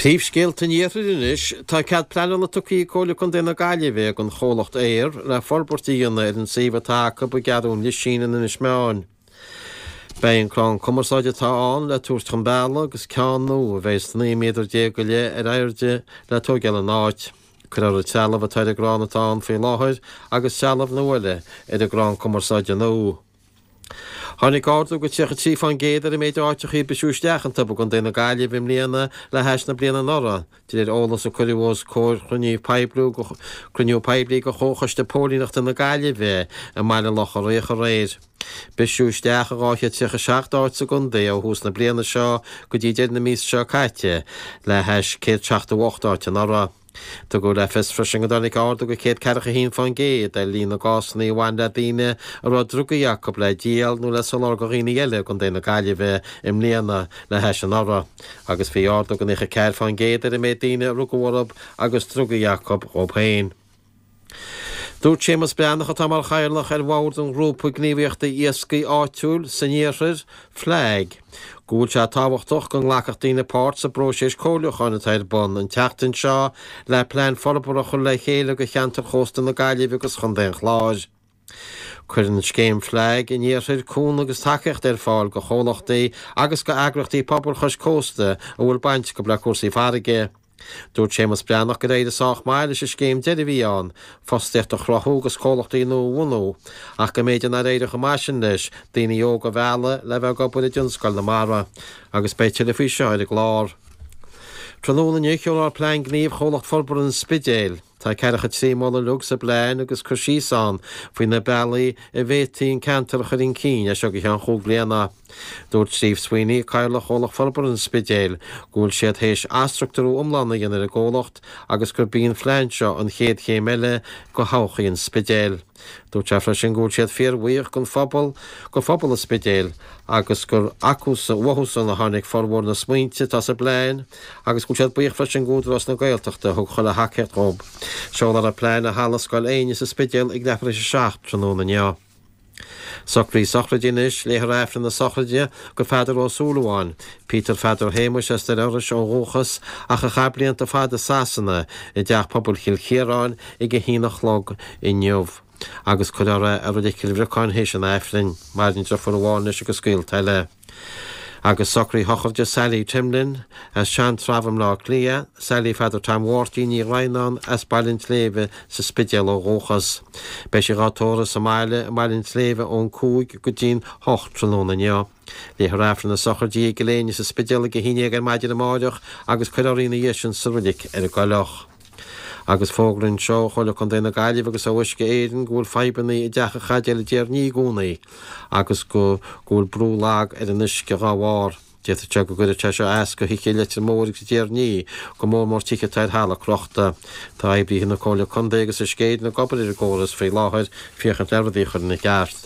Príomhscéalta an Iarthair anois, Tá cead pleanála tugtha ag Comhairle Contae na Gaillimhe don chomhlacht Eir le forbairt a dhéanamh ar an suíomh atá acu i gCeathrú an Lisín in Inis Meáin. Beidh an crann cumarsáide atá ann le tabhairt chun bealaigh agus ceann nua a bheas 19 méadar go leith ar airde le tóigeáil ina áit. Cuirfear an trealamh atá ar an gcrann atá ann faoi láthair agus trealamh nua eile ar an gcrann cumarsáide nua. Tháinig ardú go 33% ar an méid áiteachaí a briseadh isteach iontu i gContae na Gaillimhe i mbliana le hais na bliana anuraidh, de réir eolas a cuireadh os comhair chruinniú poiblí de Chomhchoiste Póilíneachta na Gaillimhe i mBaile Locha Riach aréir. Briseadh isteach i 237 áit sa gcontae ó thús na bliana seo go dtí deireadh na míosa seo caite, le hais 178 áit anuraidh. Tugadh le fios freisin go dtáinig ardú go 141% ar líon na gcásanna a bhain le daoine a raibh drugaí acu le díol nó le soláthar do dhaoine eile i gContae na Gaillimhe i mbliana le hais anuraidh agus bhí ardú go 94% ar an méid daoine a rugadh orthu agus drugaí acu dhóibh féin. Dúirt Séamus Breathnach, atá mar chathaoirleach ar bhord an ghrúpa gníomhaíochta iascaigh áitiúil san iarthar, FLAG, go bhfuil sé tábhachtach go nglacfadh daoine páirt sa bpróiseas comhairliúcháin atá ar bun an tseachtain seo le plean forbartha a chur le chéile do cheantar chósta na Gaillimhe agus Chontae an Chláir. Cuireann scéim FLAG an Iarthair cúnamh agus tacaíocht ar fáil do chomhlachtaí agus do eagraíochtaí pobail chois cósta a bhfuil baint acu le cúrsaí farraige. Dúirt Séamus Breathnach gur éirigh sách maith leis an scéim deiridh a bhí ann, fostaíocht a chruthú agus comhlachtaí nua a bhunú, ach go mb'fhéidir nár éirigh chomh maith sin leis daoine óga a mhealladh le bheith ag obair i dtionscal na mara. Agus beidh tuilleadh faoi seo ar an gclár. Tráthnóna inniu, seolfar Plean Gnímh Chomhlacht Forbartha an Spidéil. Tá 43 moladh uilig sa bplean agus cur síos ann faoi na bealaí a bhféadfaí an ceantar a chur chun cinn as seo go ceann chúig bliana. Dúirt Steve Sweeney, Cathaoirleach Chomhlacht Forbartha an Spidéil, go bhfuil siad théis athstruchtúrú iomlán a dhéanamh ar an gcomhlacht agus gurb í an phlean seo an chéad chéim eile go thodhchaí an Spidéil. Dúirt sé freisin go bhfuil siad fíorbhuíoch den phobal, go phobal an Spidéil agus gur acusan, uathusan a tháinig formhór na smaointe atá sa bplean agus go bhfuil siad buíoch freisin d'Údarás na Gaeltachta a thug chuile thacaíocht dhób. Seolfar an plean i Halla Scoil Éinne sa Spidéal ag leathuair tar éis a 7 tráthnóna inniu. Socruithe sochraide anois, léifear Aifreann na sochraide go Pheadar Ó Súilleabháin, Peter Pheadair Shéamuis as Doire Iorrais ó dhúchas ach a chaith blianta fada i Sasana, i dTeach Pobail Chill Chiaráin ag a haon a chlog inniu agus cuirfear é i Reilig Chill Bhriocáin théis an Aifrinn. Maireann deirfiúr amháin leis agus gaolta eile. Agus socruithe sochraide Sally Timlin as Sean-Treabh i mBleá Cliath, Sally Pheadair Tom Mháirtín Ní Dhroighneáin as Baile an tSléibhe sa Spidéal ó dhúchas. Beidh sí dhá tórramh sa mbaile i mBaile an tSléibhe ón 5 go dtí'n 8 tráthnóna inniu. Léifear Aifreann na sochraide i gCill Éinne sa Spidéal ag 11 ar maidin amáireach agus cuirfear í ina dhiaidh sin sa roilig ar an gCoileach. Agus fógra anseo ó Chomhairle Contae na Gaillimhe agus ó Uisce Éireann go bhfuil fadhbanna i dTeach an Chaidéil i dTír an Fhia i gcónaí agus go go bhfuil brú lag ar an uisce dhá bharr. D'fhéadfadh sé go gcuirfeadh sé seo as go thithe i Leitir Móir agus i dTír an Fhia, go mór mór tithe atá ar thalamh crochta. Tá oibríthe na Comhairle Contae agus Uisce Éireann ag obair ar an gcóras faoi láthair féachaint le rudaí a chur ina gceart.